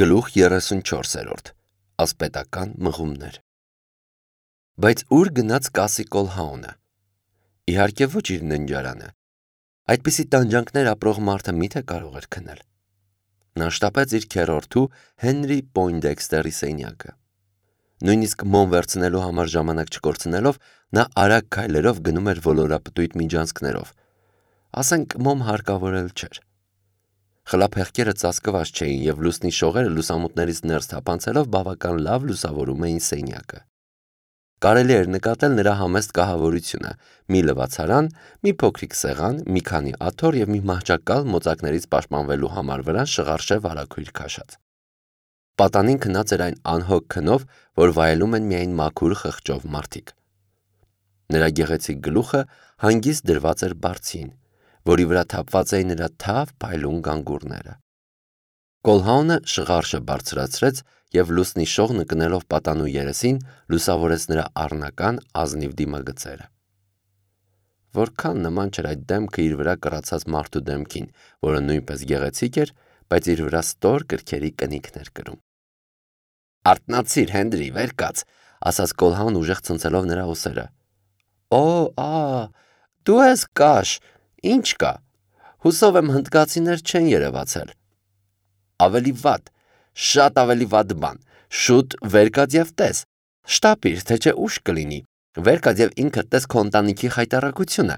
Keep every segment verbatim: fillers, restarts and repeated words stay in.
Գլուխ երեսունչորսերորդ Ասպետական մղումներ Բայց ուր գնաց Կասի Կոլհաունը։ Իհարկե ոչ իր ննջարանը։ Այդպիսի տանջանքներ ապրող մարդը միթե կարող էր քնել։ Նա շտապեց իր քեռորդու Հենրի Պոյնդեքստերի սենյակը։ Նույնիսկ մոմ վերցնելու համար ժամանակ չկորցնելով, նա արագ քայլերով գնում էր ոլորապտույտ միջանցքներով։ Ասենք մոմ հարկավոր էլ չէր։ Խլափեղկերը ծածկված չէին և լուսնի շողերը լուսամուտներից ներս թափանցելով բավական լավ լուսավորում էին սենյակը։ Կարելի էր նկատել նրա համեստ կահավորությունը՝ մի լվացարան, մի փոքրիկ սեղան, մի քանի աթոռ և մի մահճակալ մոծակներից պաշտպանվելու համար վրան շղարշև արագույր քաշած։ Պատանին քնած էր այն անհոգ քնով, որ վայելում են միայն մաքուր խղճով մարդիկ։ Նրա գեղեցիկ գլուխը հանգիստ դրված էր բարձին, որի վրա թափված էին նրա թավ փայլուն գանգուրները։ Կոլհաունը շղարշը բարձրացրեց և լուսնի շողն ընկնելով պատանու երեսին լուսավորեց նրա առնական ազնիվ դիմագծերը։ Որքան նման չէր այդ դեմքը իր վրա կռացած մարդու դեմքին, որը նույնպես գեղեցիկ էր, բայց իր վրա ստոր կրքերի կնիքն էր կրում։ «Արթնացիր, Հենրի, վեր կաց», ասաց Կոլհաուն ուժեղ ցնցելով նրա ուսերը։ «Օ, ա, դու ես կաշ, ի՞նչ կա։ Հուսով եմ հնդկացիներ չեն երևացել»։ «Ավելի վատ, շատ ավելի վատ բան, շուտ վեր կաց և տես, շտապիր, թե չէ ուշ կլինի, վեր կաց և ինքդ տես քո ընտանիքի խայտառակությունը,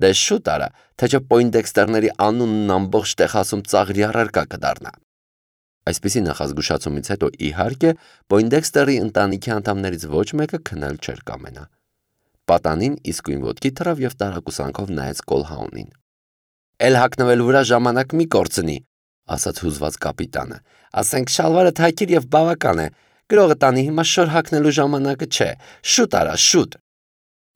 դե շուտ արա, թե չէ Պոյնդեքստերների անունն ամբողջ Տեխասում ծաղրի առարկա կդառնա»։ Այսպիսի նախազգուշացումից հետո, իհարկե, Պոյնդեքստերի ընտանիքի անդամներից ոչ մեկը քնել չէր կամենա։ Պատանին իսկույն ոտքի թռավ և տարակուսանքով նայեց Կոլհաունին։ «Էլ հագնվելու վրա ժամանակ մի կորցնի», ասաց հուզված կապիտանը։ «Ասենք շալվարդ հագիր և բավական է, գրողը տանի, հիմա շոր հագնելու ժամանակը չէ, շուտ արա, շուտ»։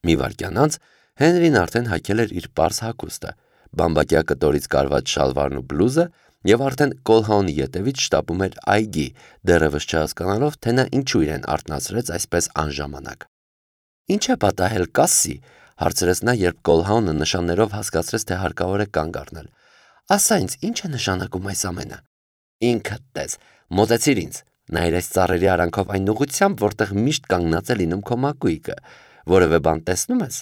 Մի վայրկյան անց Հենրին արդեն հագել էր իր պարզ հագուստը, բամբակյա կտորից կարված շալվարն ու բլուզը և արդեն Կոլհաունի ետևից շտապում էր այգի, դեռևս չհասկանալով, թե նա ինչու իրեն արթնացրեց այսպես անժամանակ։ «Ինչ է պատահել, Կասսի», հարցրեց նա, երբ Կոլհաունը նշաններով հասկացրեց, թե հարկավոր է կանգ առնել։ «Ասա ինձ, ինչ է նշանակում այս ամենը»։ «Ինքդ տես, մոտեցիր ինձ, նայիր այս ծառերի արանքով այն ուղղությամբ, որտեղ միշտ կանգնած է լինում քո մակույկը, որևէ բան տեսնու՞մ ես»։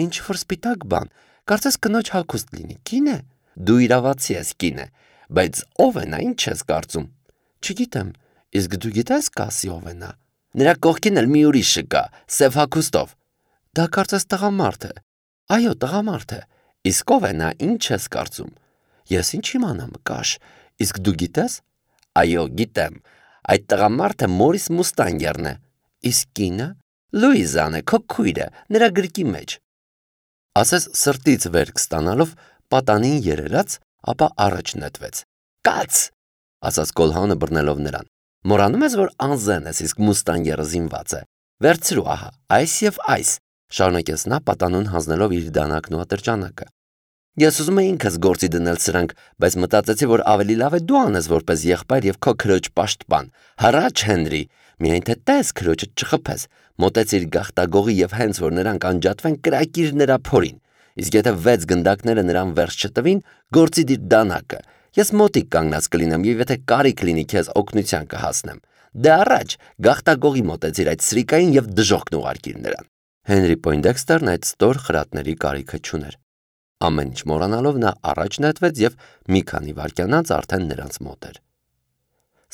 «Ինչ-որ սպիտակ բան, կարծես կնոջ հագուստ լինի, կին է»։ «Դու իրավացի ես, կին է, բայց ո՞վ է նա, ինչ ես կարծում»։ «Չգիտեմ, իսկ դու գիտես Կասսի ով է նա»։ «Նրա կողքին էլ մի ուրիշը կա, սև հագուստով»։ «Դա կարծես տղամարդ է»։ «Այո, տղամարդ է»։ «Իսկ ո՞վ է նա, ինչ ես կարծում»։ «Ես ինչ իմանամ, կաշ, իսկ դու գիտես»։ «Այո, գիտեմ, այդ տղամարդը Մորիս Մուստանգերն է»։ «Իսկ կինը»։ «Լուիզան է, քո քույրը, նրա գրկի մեջ»։ Ասես սրտից վերք ստանալով, պատանին երերաց, ապա առաջ նետվեց։ «Կաց», ասաց Կոլհաունը բռնելով նրան։ «Մոռանում ես, որ անզեն ես, իսկ Մուստանգերը զինված է։ Վերցրու ահա, այս և այս», շարունակեց նա պատանուն հանձնելով իր դանակն ու ատրճանակը։ «Ես ուզում էի ինքս գործի դնել սրանք, բայց մտածեցի, որ ավելի լավ է դու անես որպես եղբայր և քո քրոջ պաշտպան։ Հառաչ, Հենրի, միայն թե տես քրոջդ չխփես, մոտեցիր գաղտագողի և հենց որ նրանք անջատվեն, կրակիր նրա փորին, իսկ եթե վեց գնդակները նրան վերջ չտվին, գործի դիր դանակը, ես մոտիկ կանգնած կլինեմ և եթե կարիք լինի քեզ օգնության կհասնեմ։ Դե առաջ, գաղտագողի մոտեցիր այդ սրիկային և դժոխքն ուղարկիր նրան»։ Հենրի Պոյնդեքստերն այդ ստոր խրատների կարիքը չուներ։ Ամեն ինչ մոռանալով նա առաջ նետվեց և մի քանի վայրկյան անց արդեն նրանց մոտ էր։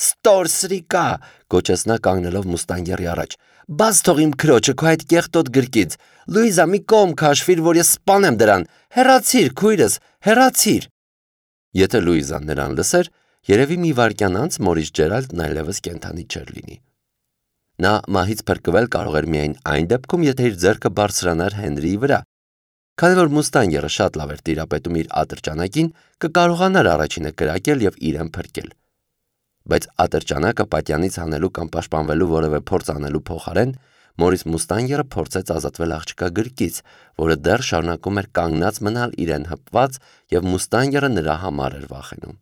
«Ստոր սրիկա», գոչեց նա կանգնելով Մուստանգերի առաջ, «բաց թող իմ քրոջը քո այդ կեղտոտ գրկից։ Լուիզա, մի կողմ քաշվիր, որ ես սպանեմ դրան։ Հեռացիր, քույրս, հեռացիր»։ Եթե Լուիզան նրան լսեր, երևի մի վայրկյան անց Մորիս Ջերալդն այլևս կենդանի չէր լինի։ Նա մահից փրկվել կարող էր միայն այն դեպքում, եթե իր ձեռքը բարձրանար Հենրիի վրա։ Քանի որ Մուստանգերը շատ լավ էր տիրապետում իր ատրճանակին, կկարողանար առաջինը կրակել և իրեն փրկել։ Բայց ատրճանակը պատյանից հանելու կամ պաշտպանվելու որևէ փորձ անելու փոխարեն Մորիս Մուստանգերը փորձեց ազատվել աղջկա գրկից, որը դեռ շարունակում էր կանգնած մնալ իրեն հպված, և Մուստանգերը նրա համար էր վախենում։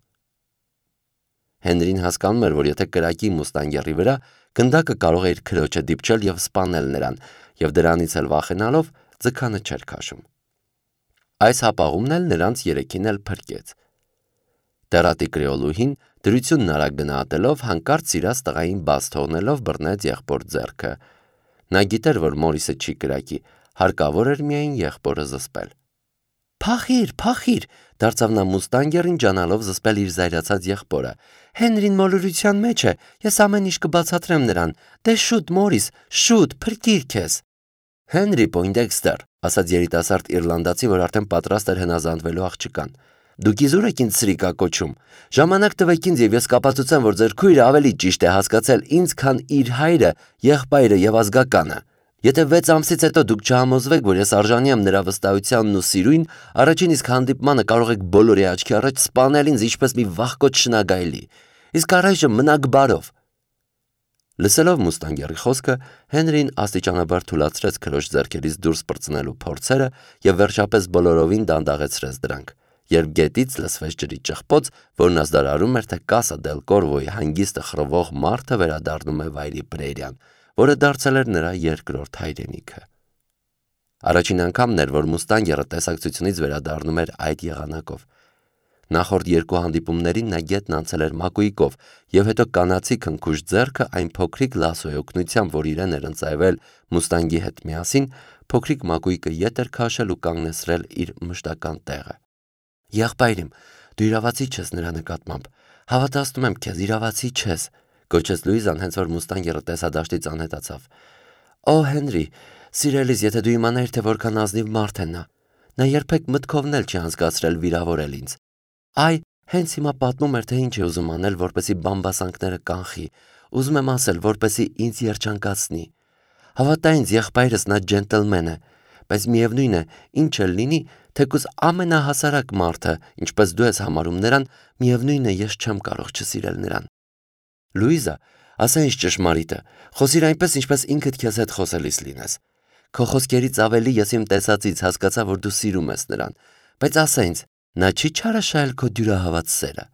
Հենրին հասկանում էր, որ եթե կրակի Մուստանգերի վրա, գնդակը կարող է իր քրոջը դիպչել և սպանել նրան, և դրանից էլ վախենալով ձգանը չէր քաշում։ Այս հապաղումն էլ նրանց երեքին էլ փրկեց։ Դեռատի կրեոլուհին Դրությունն արագ գնահատելով հանկարծ սիրած տղային բաց թողնելով բռնեց եղբոր ձեռքը։ Նա գիտեր, որ Մորիսը չի կրակի, հարկավոր էր միայն եղբորը զսպել։ «Փախիր, փախիր», դարձավ նա մուստանգերին ջանալով զսպել իր զայրացած եղբորը։ «Հենրին մոլորության մեջ է, ես ամեն ինչ կբացատրեմ նրան։ Դե շուտ, Մորիս, շուտ, փրկիր քեզ»։ «Հենրի Պոյնդեքստեր», ասաց երիտասարդ իռլանդացի, որ արդեն պատրաստ էր հնազանդվելու աղջկան։ «Դուք իզուր եք ինձ սրիկա կոչում։ Ժամանակ տվեք ինձ և ես կապացուցեմ, որ ձեր քույրը ավելի ճիշտ է հասկացել ինձ, քան իր հայրը, եղբայրը և ազգականը։ Եթե վեց ամսից հետո դուք չհամոզվեք, որ ես արժանի եմ նրա վստահությանն ու սիրույն, առաջին իսկ հանդիպմանը կարող եք բոլորի աչքի առաջ սպանել ինձ ինչպես մի վախկոտ շնագայլի։ Իսկ առայժմ մնաք բարով»։ Լսելով մուստանգերի խոսքը, Հենրին աստիճանաբար թուլացրեց քրոջ ձեռքերից դուրս պրծնելու փորձերը և վերջապես բոլորովին դանդաղեցրեց դրանք, երբ գետից լսվեց ջրի ճխպոց, որն ազդարարում էր, թե Կասա դել Կորվոյի հանգիստը խռովող մարդը վերադառնում է վայրի Պրերիան, որը դարձել էր նրա երկրորդ հայրենիքը։ Առաջին անգամն էր, որ մուստանգերը տեսակցությունից վերադառնում էր այդ եղանակով։ Նախորդ երկու հանդիպումներին նա գետն անցել էր մակույկով, և հետո կանացի քնքուշ ձեռքը այն փոքրիկ լասոյի օգնությամբ, որ իրեն էր ընծայվել մուստանգի հետ միասին, փոքրիկ մակույկը ետ էր քաշել ու կանգնեցրել իր մշտական տեղը։ «Եղբայրիմ, դու իրավացի չես նրա նկատմամբ, հավատացնում եմ քեզ, իրավացի չես», գոչեց Լուիզան, հենց որ մուստանգերը տեսադաշտից անհետացավ։ «Օ, Հենրի, սիրելիս, եթե դու իմանայիր, թե որքան ազնիվ մարդ է նա։ Նա երբեք մտքովն էլ չի անցկացրել վիրավորել ինձ։ Այ, հենց հիմա պատմում էր, թե ինչ է ուզում անել, որպեսզի բամբասանքները կանխի, ուզում եմ ասել, որպեսզի ինձ երջանկացնի։ Հավատա ինձ, եղբայրս նա ջենտլմեն է, բայց միևնույն է, ինչ էլ լինի, թեկուզ ամենահասարակ մարդը, ինչպես դու ես համարում նրան, միևնույն է, ես չեմ կարող չսիրել նրան»։ «Լուիզա, ասա ինչ ճշմարիտը, խոսիր այնպես, ինչպես ինքդ քեզ հետ խոսելիս լինես։ Քո խոսքերից ավելի ես իմ տեսածից հասկացա, որ դու սիրում ես նրան, բայց ասա ինձ, նա չի չարաշահել քո դյուրահավատ սերը»։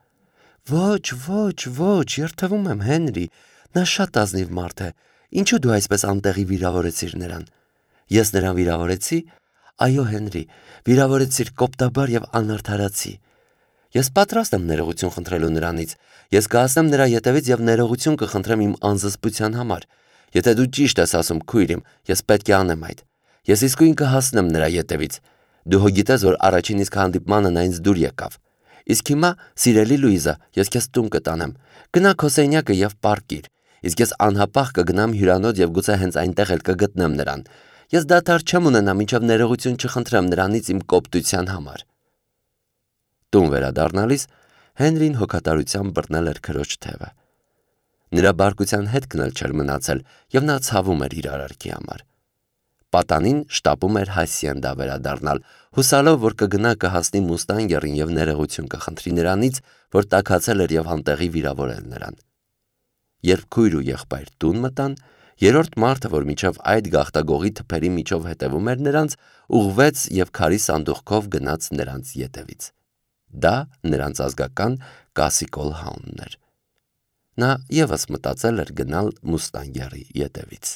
«Ոչ, ոչ, ոչ, երդվում եմ, Հենրի, նա շատ ազնիվ մարդ է, ինչու դու այսպես անտեղի վիրավորեցիր նրան»։ «Ես նրան վիրավորեցի»։ «Այո, Հենրի, վիրավորեցիր կոպտաբար և անարդարացի։ Ես պատրաստ եմ ներողություն խնդրելու նրանից, ես կհասնեմ նրա ետևից և ներողություն կխնդրեմ իմ անզսպության համար։ Եթե դու ճիշտ ես ասում, քույր իմ, ես պետք է անեմ այդ։ Ես իսկույն կհասնեմ նրա ետևից։ Դու հո գիտես, որ առաջին իսկ հանդիպմանը նա ինձ դուր եկավ։ Իսկ հիմա, սիրելի Լուիզա, ես քեզ տուն կտանեմ։ Գնա քո սենյակը և պառկիր, իսկ ես անհապաղ կգնամ հյուրանոց և գուցե հենց այնտեղ էլ կգտնեմ նրան։ Ես դադար չեմ ունենա, մինչև ներողություն չխնդրեմ նրանից իմ կոպտության համար»։ Տուն վերադառնալիս Հենրին հոգատարությամբ բռնել էր քրոջ թևը։ Նրա բարկության հետքն էլ չէր մնացել, և նա ցավում էր իր արարքի համար։ Պատանին շտապում էր Հասիենդա վերադառնալ, հուսալով, որ կգնա կհասնի մուստանգերին և ներողություն կխնդրի նրանից, որ տաքացել էր և անտեղի վիրավորել նրան։ Երբ քույր ու եղբայր տուն մտան, երրորդ մարդը, որ մինչև այդ գաղտագողի թփերի միջով հետևում էր նրանց, ուղղվեց և քարի սանդուղքով գնաց նրանց ետևից։ Դա նրանց ազգական Կասի Կոլհաունն էր։ Նա ևս մտածել էր գնալ մուստանգերի ետևից։